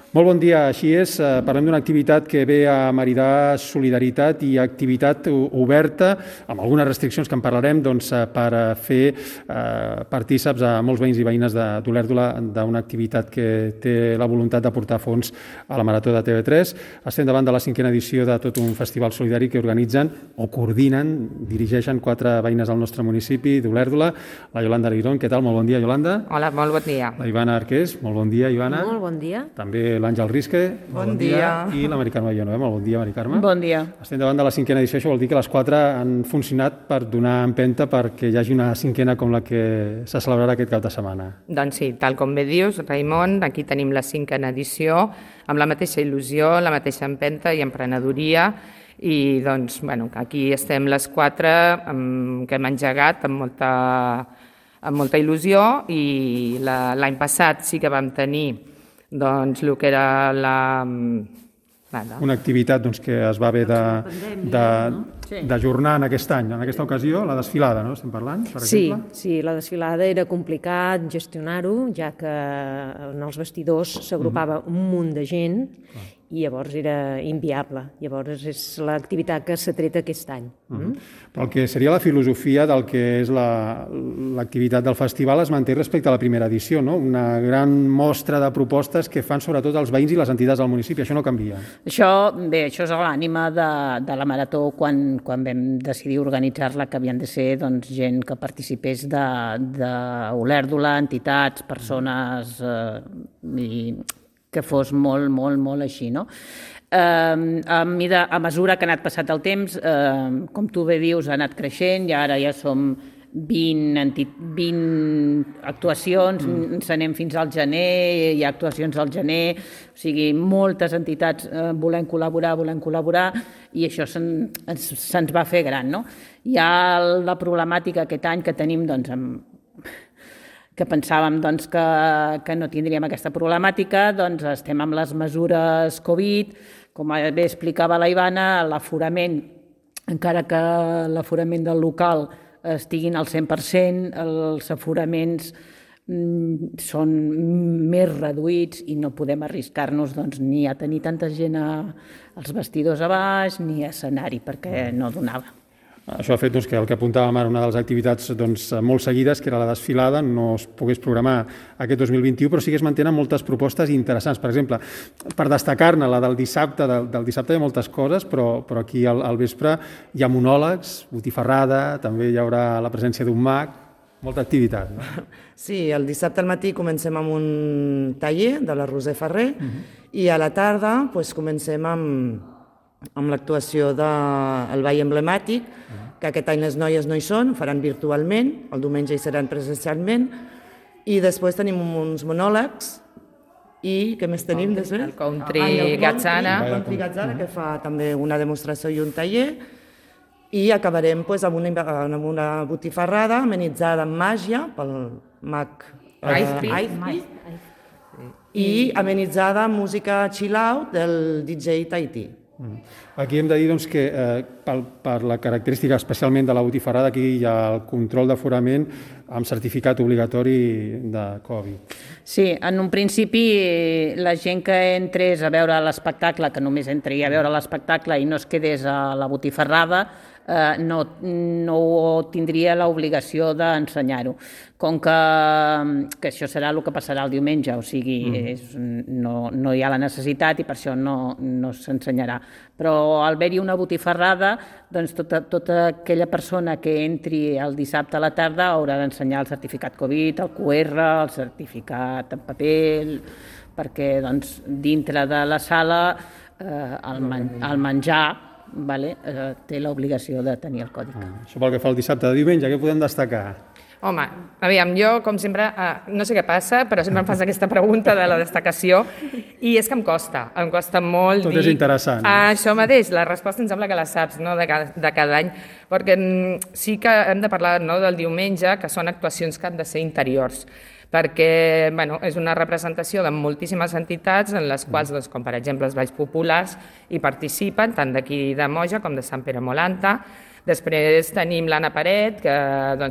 Molt bon dia. Així és, parlem d'una activitat que ve a maridar solidaritat i activitat oberta, amb algunes restriccions que en parlarem, per fer partíceps a molts veïns i veïnes d'Olèrdola d'una activitat que té la voluntat de portar fons a la Marató de TV3. Estem davant de la 5a edició de tot un festival solidari que organitzen o coordinen, dirigeixen 4 veïnes del nostre municipi d'Olèrdola. La Yolanda Aguirón, què tal? Molt bon dia, Yolanda. Hola, molt bon dia. La Ivana Arqués, molt bon dia, Ivana. Molt bon dia. També l'Àngel Risque, bon dia. I la Mari Carme Villanueva, molt bon dia, Mari Carme. Bon dia. Estem davant de la 5a edició, això vol dir que les 4 han funcionat per donar empenta perquè hi hagi una 5a com la que se celebrarà aquest cap de setmana. Doncs sí, tal com bé dius, Raimon, aquí tenim la 5a edició, amb la mateixa il·lusió, la mateixa empenta i emprenedoria, i doncs, aquí estem les 4 que hem engegat amb molta il·lusió, i l'any passat sí que vam tenir doncs el que era una activitat que es va haver d'ajornar en aquest any, en aquesta ocasió, la desfilada, no? Estem parlant, per exemple? Sí, la desfilada era complicat gestionar-ho, ja que en els vestidors s'agrupava un munt de gent i llavors era inviable. Llavors és l'activitat que s'ha tret aquest any. Però el que seria la filosofia del que és l'activitat del festival es manté respecte a la primera edició, no? Una gran mostra de propostes que fan sobretot els veïns i les entitats del municipi. Això no canvia. Això és l'ànima de la Marató quan vam decidir organitzar-la, que havien de ser gent que participés d'Olèrdola, entitats, persones, que fos molt, molt, molt així, no? A mesura que ha anat passat el temps, com tu bé dius, ha anat creixent i ara ja som 20 actuacions, ens anem fins al gener, hi ha actuacions al gener, o sigui, moltes entitats volem col·laborar, i això se'ns va fer gran, no? Hi ha la problemàtica aquest any que tenim, que pensàvem que no tindríem aquesta problemàtica, estem amb les mesures Covid, com bé explicava la Ivana, l'aforament, encara que l'aforament del local estiguin al 100%, els aforaments són més reduïts i no podem arriscar-nos ni a tenir tanta gent als vestidors a baix ni a escenari, perquè no donava. Això ha fet que el que apuntàvem ara, una de les activitats molt seguides, que era la desfilada, no es pogués programar aquest 2021, però sí que es mantenen moltes propostes interessants. Per exemple, per destacar-ne, la del dissabte hi ha moltes coses, però aquí al vespre hi ha monòlegs, botifarrada, també hi haurà la presència d'un mag, molta activitat, no? Sí, el dissabte al matí comencem amb un taller de la Roser Ferrer i a la tarda comencem amb l'actuació del ball emblemàtic, que aquest any les noies no hi són, ho faran virtualment, el diumenge hi seran presencialment, i després tenim uns monòlegs, i què més tenim després? El Country Gazzana. El Country Gazzana, que fa també una demostració i un taller, i acabarem amb una botifarrada amenitzada amb màgia pel mag Aizpi, i amenitzada amb música chill-out del DJ Tahiti. Aquí hem de dir que per la característica especialment de la botifarrada, aquí hi ha el control d'aforament amb certificat obligatori de Covid. Sí, en un principi la gent que entrés a veure l'espectacle, que només entri a veure l'espectacle i no es quedés a la botifarrada, no tindria l'obligació d'ensenyar-ho. Com que això serà el que passarà el diumenge, o sigui, no hi ha la necessitat i per això no s'ensenyarà. Però al haver-hi una botifarrada, tota aquella persona que entri el dissabte a la tarda haurà d'ensenyar el certificat Covid, el QR, el certificat en paper, perquè dintre de la sala el menjar té l'obligació de tenir el còdic. Això pel que fa al dissabte. De diumenge, què podem destacar? Home, aviam, jo, com sempre, no sé què passa, però sempre em fas aquesta pregunta de la destacació, i és que em costa molt dir... Tot és interessant. Això mateix, la resposta em sembla que la saps, no?, de cada any, perquè sí que hem de parlar del diumenge, que són actuacions que han de ser interiors, perquè és una representació de moltíssimes entitats en les quals, com per exemple els Balls Populars, hi participen, tant d'aquí de Moja com de Sant Pere Molanta. Després tenim l'Anna Paret, que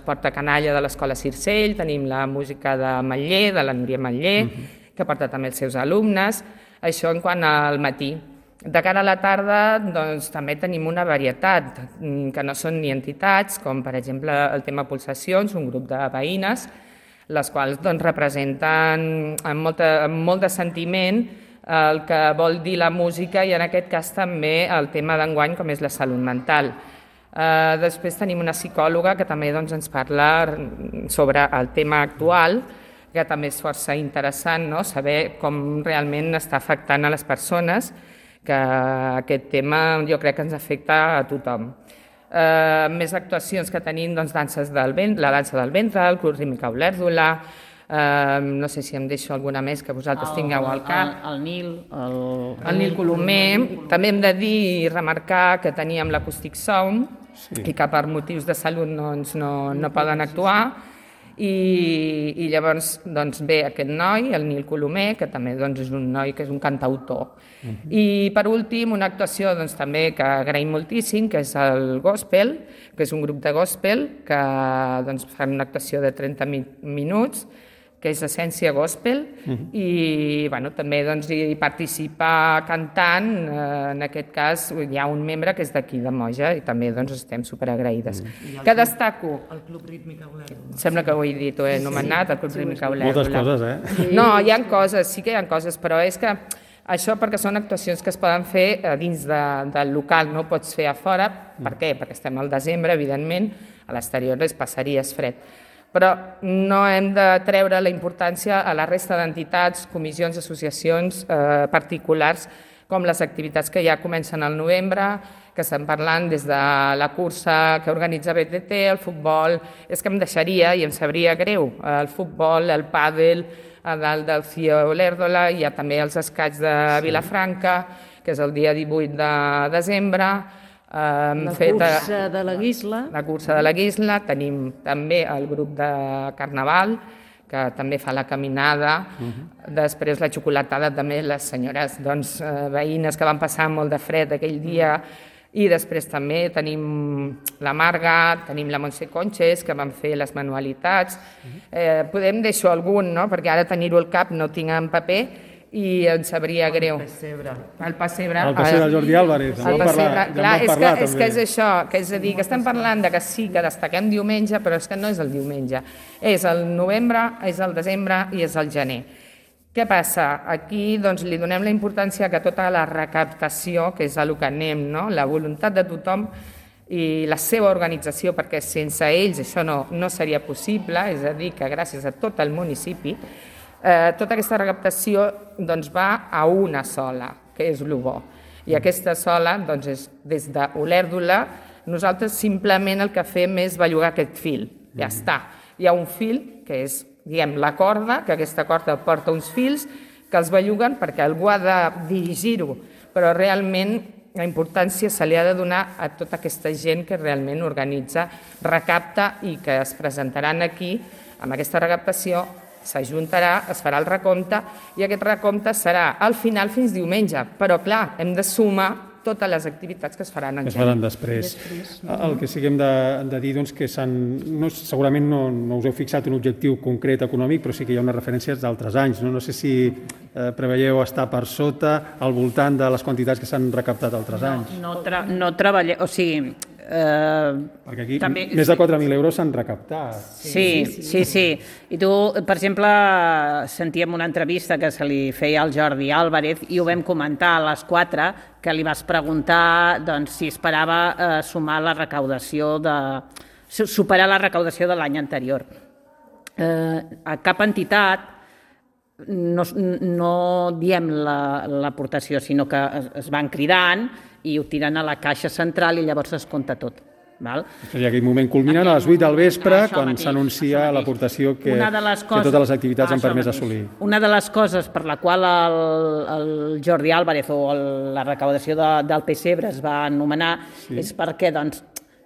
porta canalla de l'Escola Circell, tenim la música de Matller, de la Núria Matller, que porta també els seus alumnes. Això en quant al matí. De cara a la tarda doncs, també tenim una varietat, que no són ni entitats, com per exemple el tema Pulsacions, un grup de veïnes, les quals doncs, representen amb molt de sentiment el que vol dir la música i en aquest cas també el tema d'enguany com és la salut mental. Després tenim una psicòloga que també doncs, ens parla sobre el tema actual, que també és força interessant, no? Saber com realment està afectant a les persones, que aquest tema jo crec que ens afecta a tothom. Més actuacions que tenim, doncs, la dansa del ventre, el Club Rítmic Olèrdola, no sé si em deixo alguna més que vosaltres tingueu al cap. El Nil. El Nil Colomer. També hem de dir i remarcar que teníem l'Acoustic Sound i que per motius de salut no poden actuar. I llavors doncs, ve aquest noi, el Nil Colomer, que també doncs, és un noi que és un cantautor. I per últim, una actuació doncs, també que agraïm moltíssim, que és el Gospel, que és un grup de gospel que doncs, fan una actuació de 30 minuts, que és Essència Gospel, i bueno, també doncs, hi participa cantant, en aquest cas hi ha un membre que és d'aquí de Moja i també doncs, estem superagraïdes. Què destaco? El Club Rítmic Olèrdola. Sembla que ho he dit, ho he anomenat, el Club Rítmic Olèrdola. Moltes coses, eh? No, hi ha coses, sí que hi ha coses, però és que això perquè són actuacions que es poden fer dins del local, no ho pots fer a fora. Per què? Perquè estem al desembre, evidentment, a l'exterior es passaria fred. Però no hem de treure la importància a la resta d'entitats, comissions, associacions particulars, com les activitats que ja comencen al novembre, que estem parlant des de la cursa que organitza BTT, el futbol. És que em deixaria i em sabria greu el futbol, el pàdel, a dalt del CIO Olèrdola, hi ha també els escacs de Vilafranca, que és el dia 18 de desembre. La cursa de la Guisla. La cursa de la Guisla. Tenim també el grup de Carnaval, que també fa la caminada. Després la xocolatada també, les senyores doncs, veïnes que van passar molt de fred aquell dia. I després també tenim la Marga, tenim la Montse Conches, que van fer les manualitats. Podem deixar algun, no? Perquè ara tenir-ho al cap no tinc en paper, i em sabria greu. El pessebre. El pessebre. El pessebre de Jordi Álvarez. El pessebre, clar, és que és això, que és a dir, que estem parlant de que sí, que destaquem diumenge, però és que no és el diumenge. És el novembre, és el desembre i és el gener. Què passa? Aquí doncs, li donem la importància que tota la recaptació, que és a lo que anem, no? La voluntat de tothom i la seva organització, perquè sense ells això no seria possible, és a dir, que gràcies a tot el municipi, tota aquesta recaptació doncs, va a una sola, que és el bo. I aquesta sola, doncs, és des d'Olèrdola, nosaltres simplement el que fem és bellugar aquest fil. Ja està. Hi ha un fil, que és, diguem, la corda, que aquesta corda porta uns fils que els belluguen perquè algú ha de dirigir-ho, però realment la importància se li ha de donar a tota aquesta gent que realment organitza, recapta i que es presentaran aquí amb aquesta recaptació. S'ajuntarà, es farà el recompte i aquest recompte serà al final fins diumenge. Però, clar, hem de sumar totes les activitats que es faran en faran després. El que sí que hem de dir doncs, que segurament no us heu fixat un objectiu concret econòmic, però sí que hi ha unes referències d'altres anys. No sé si preveieu estar per sota, al voltant de les quantitats que s'han recaptat altres anys. No treballem, o sigui... Perquè aquí també, més de 4.000 euros s'han recaptat. Sí. I tu, per exemple, sentíem una entrevista que se li feia al Jordi Álvarez i ho vam comentar a les 4, que li vas preguntar doncs, si esperava superar la recaudació de l'any anterior. A cap entitat no diem l'aportació, sinó que es van cridant i ho tiren a la caixa central i llavors es compta tot. Després hi ha aquell moment culminant a les 8 del vespre, quan s'anuncia l'aportació que totes les activitats han permès assolir. Una de les coses per la qual el Jordi Álvarez o la recaudació del pessebre es va anomenar és perquè,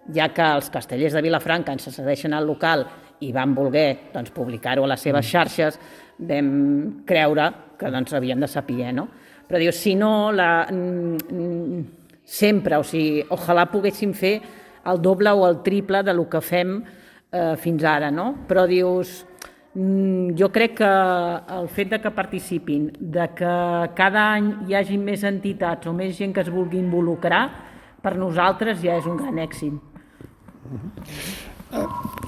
ja que els castellers de Vilafranca ens cedeixen al local i van voler publicar-ho a les seves xarxes, vam creure que havien de saber, no? Però dius, si no, sempre, o sigui, ojalà poguéssim fer el doble o el triple del que fem fins ara, no? Però dius, Jo crec que el fet de que participin, de que cada any hi hagi més entitats o més gent que es vulgui involucrar, per nosaltres ja és un gran èxit.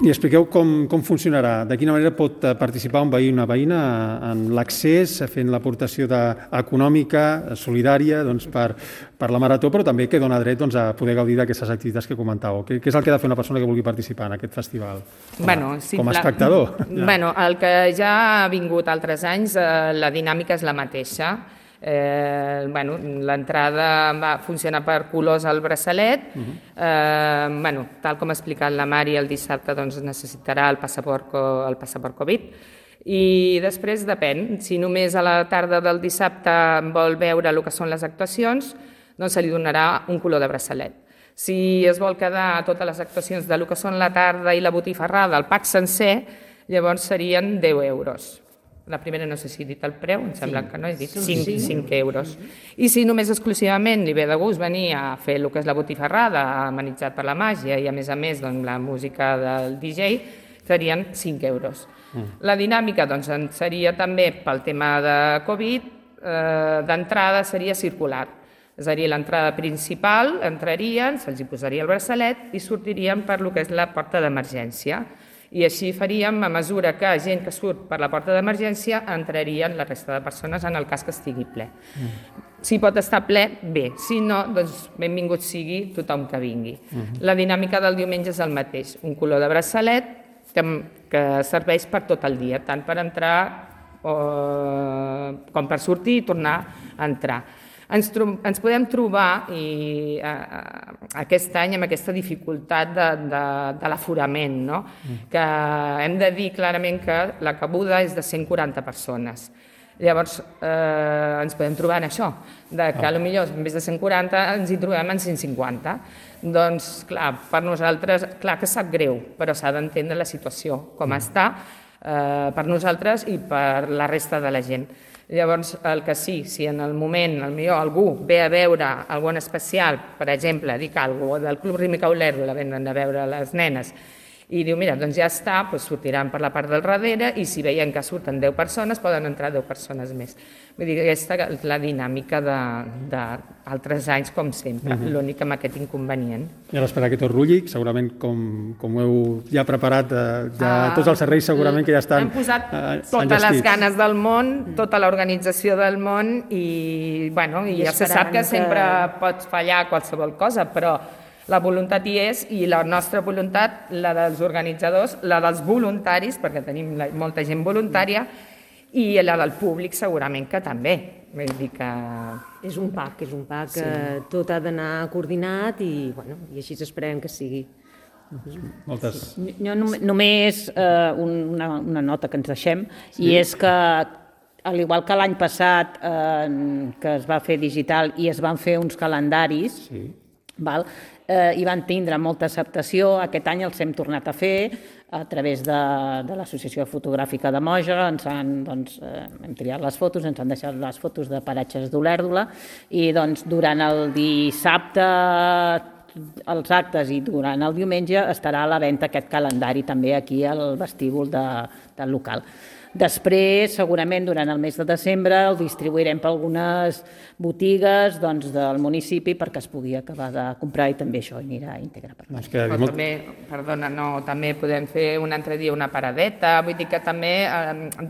I expliqueu com funcionarà, de quina manera pot participar un veí o una veïna en l'accés, fent l'aportació econòmica, solidària, per la marató, però també que dona dret a poder gaudir d'aquestes activitats que comentàveu. Què és el que ha de fer una persona que vulgui participar en aquest festival? Com a espectador? El que ja ha vingut altres anys, la dinàmica és la mateixa. L'entrada funciona per colors al braçalet. Tal com ha explicat la Mari, el dissabte necessitarà el passaport Covid, i després depèn, si només a la tarda del dissabte vol veure el que són les actuacions, doncs se li donarà un color de braçalet. Si es vol quedar a totes les actuacions de lo que són la tarda i la botifarrada, el pack sencer, llavors serien 10 euros. La primera no sé si he dit el preu, em sembla que no, he dit 5 euros. I si només exclusivament li ve de gust venir a fer el que és la botifarrada, amenitzat per la màgia i a més la música del DJ, serien 5 euros. La dinàmica seria també pel tema de Covid, d'entrada seria circular. És a dir, l'entrada principal entrarien, se'ls posaria el braçalet i sortirien per lo que és la porta d'emergència. I així faríem, a mesura que gent que surt per la porta d'emergència entrarien la resta de persones en el cas que estigui ple. Si pot estar ple, bé. Si no, doncs benvingut sigui tothom que vingui. La dinàmica del diumenge és el mateix. Un color de braçalet que serveix per tot el dia, tant per entrar com per sortir i tornar a entrar. Ens podem trobar aquest any amb aquesta dificultat de l'aforament, que hem de dir clarament que la cabuda és de 140 persones. Llavors ens podem trobar en això, que potser en vez de 140 ens hi trobem en 150. Doncs clar, per nosaltres, clar que sap greu, però s'ha d'entendre la situació com està per nosaltres i per la resta de la gent. Llavors, el que sí, si en el moment potser algú ve a veure algun especial, per exemple, dic alguna cosa, del Club Rítmic Olèrdola, venen a veure les nenes, i diu, mira, doncs ja està, sortiran per la part del darrere i si veien que surten 10 persones, poden entrar 10 persones més. Vull dir, aquesta és la dinàmica d'altres anys, com sempre, l'únic amb aquest inconvenient. I a l'espera que tot rulli, segurament com ho heu ja preparat, tots els serveis segurament que ja estan enllestits. Hem posat totes les ganes del món, tota l'organització del món i ja se sap que sempre pot fallar qualsevol cosa, però la voluntat hi és i la nostra voluntat, la dels organitzadors, la dels voluntaris, perquè tenim molta gent voluntària, i la del públic segurament que també. Vull dir que... És un pack, tot ha d'anar coordinat i així esperem que sigui. Moltes. Jo només una nota que ens deixem, i és que al igual que l'any passat que es va fer digital i es van fer uns calendaris, i van tindre molta acceptació. Aquest any els hem tornat a fer a través de l'Associació Fotogràfica de Moja. Hem triat les fotos, ens han deixat les fotos de paratges d'Olèrdola i durant el dissabte, els actes i durant el diumenge estarà a la venda aquest calendari també aquí al vestíbul del local. Després, segurament, durant el mes de desembre, el distribuirem per algunes botigues del municipi perquè es pugui acabar de comprar i també això anirà íntegre per part. També podem fer un altre dia una paradeta, vull dir que també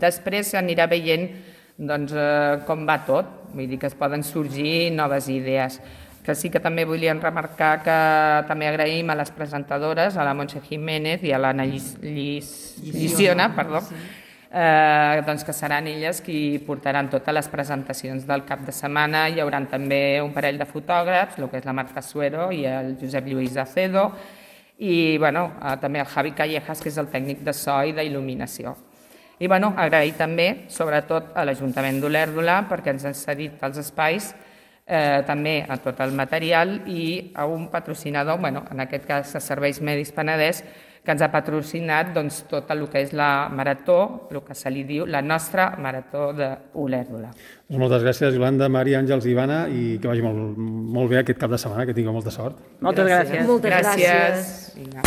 després s'anirà veient com va tot, vull dir que es poden sorgir noves idees. Que sí que també volien remarcar que també agraïm a les presentadores, a la Montse Jiménez i a l'Anna Lliciona, que seran elles qui portaran totes les presentacions del cap de setmana. Hi haurà també un parell de fotògrafs, el que és la Marta Suero i el Josep Lluís Acedo, i també el Javi Callejas, que és el tècnic de so i d'il·luminació. I agrair també, sobretot, a l'Ajuntament d'Olèrdola perquè ens han cedit els espais, també a tot el material, i a un patrocinador, en aquest cas a Serveis Mèdics Penedès, que ens ha patrocinat tot el que és la marató, el que se li diu la nostra marató d'Olèrdola. Moltes gràcies, Iolanda, Mari, Àngels i Ivana, i que vagi molt bé aquest cap de setmana, que tingueu molta sort. Moltes gràcies. Moltes gràcies.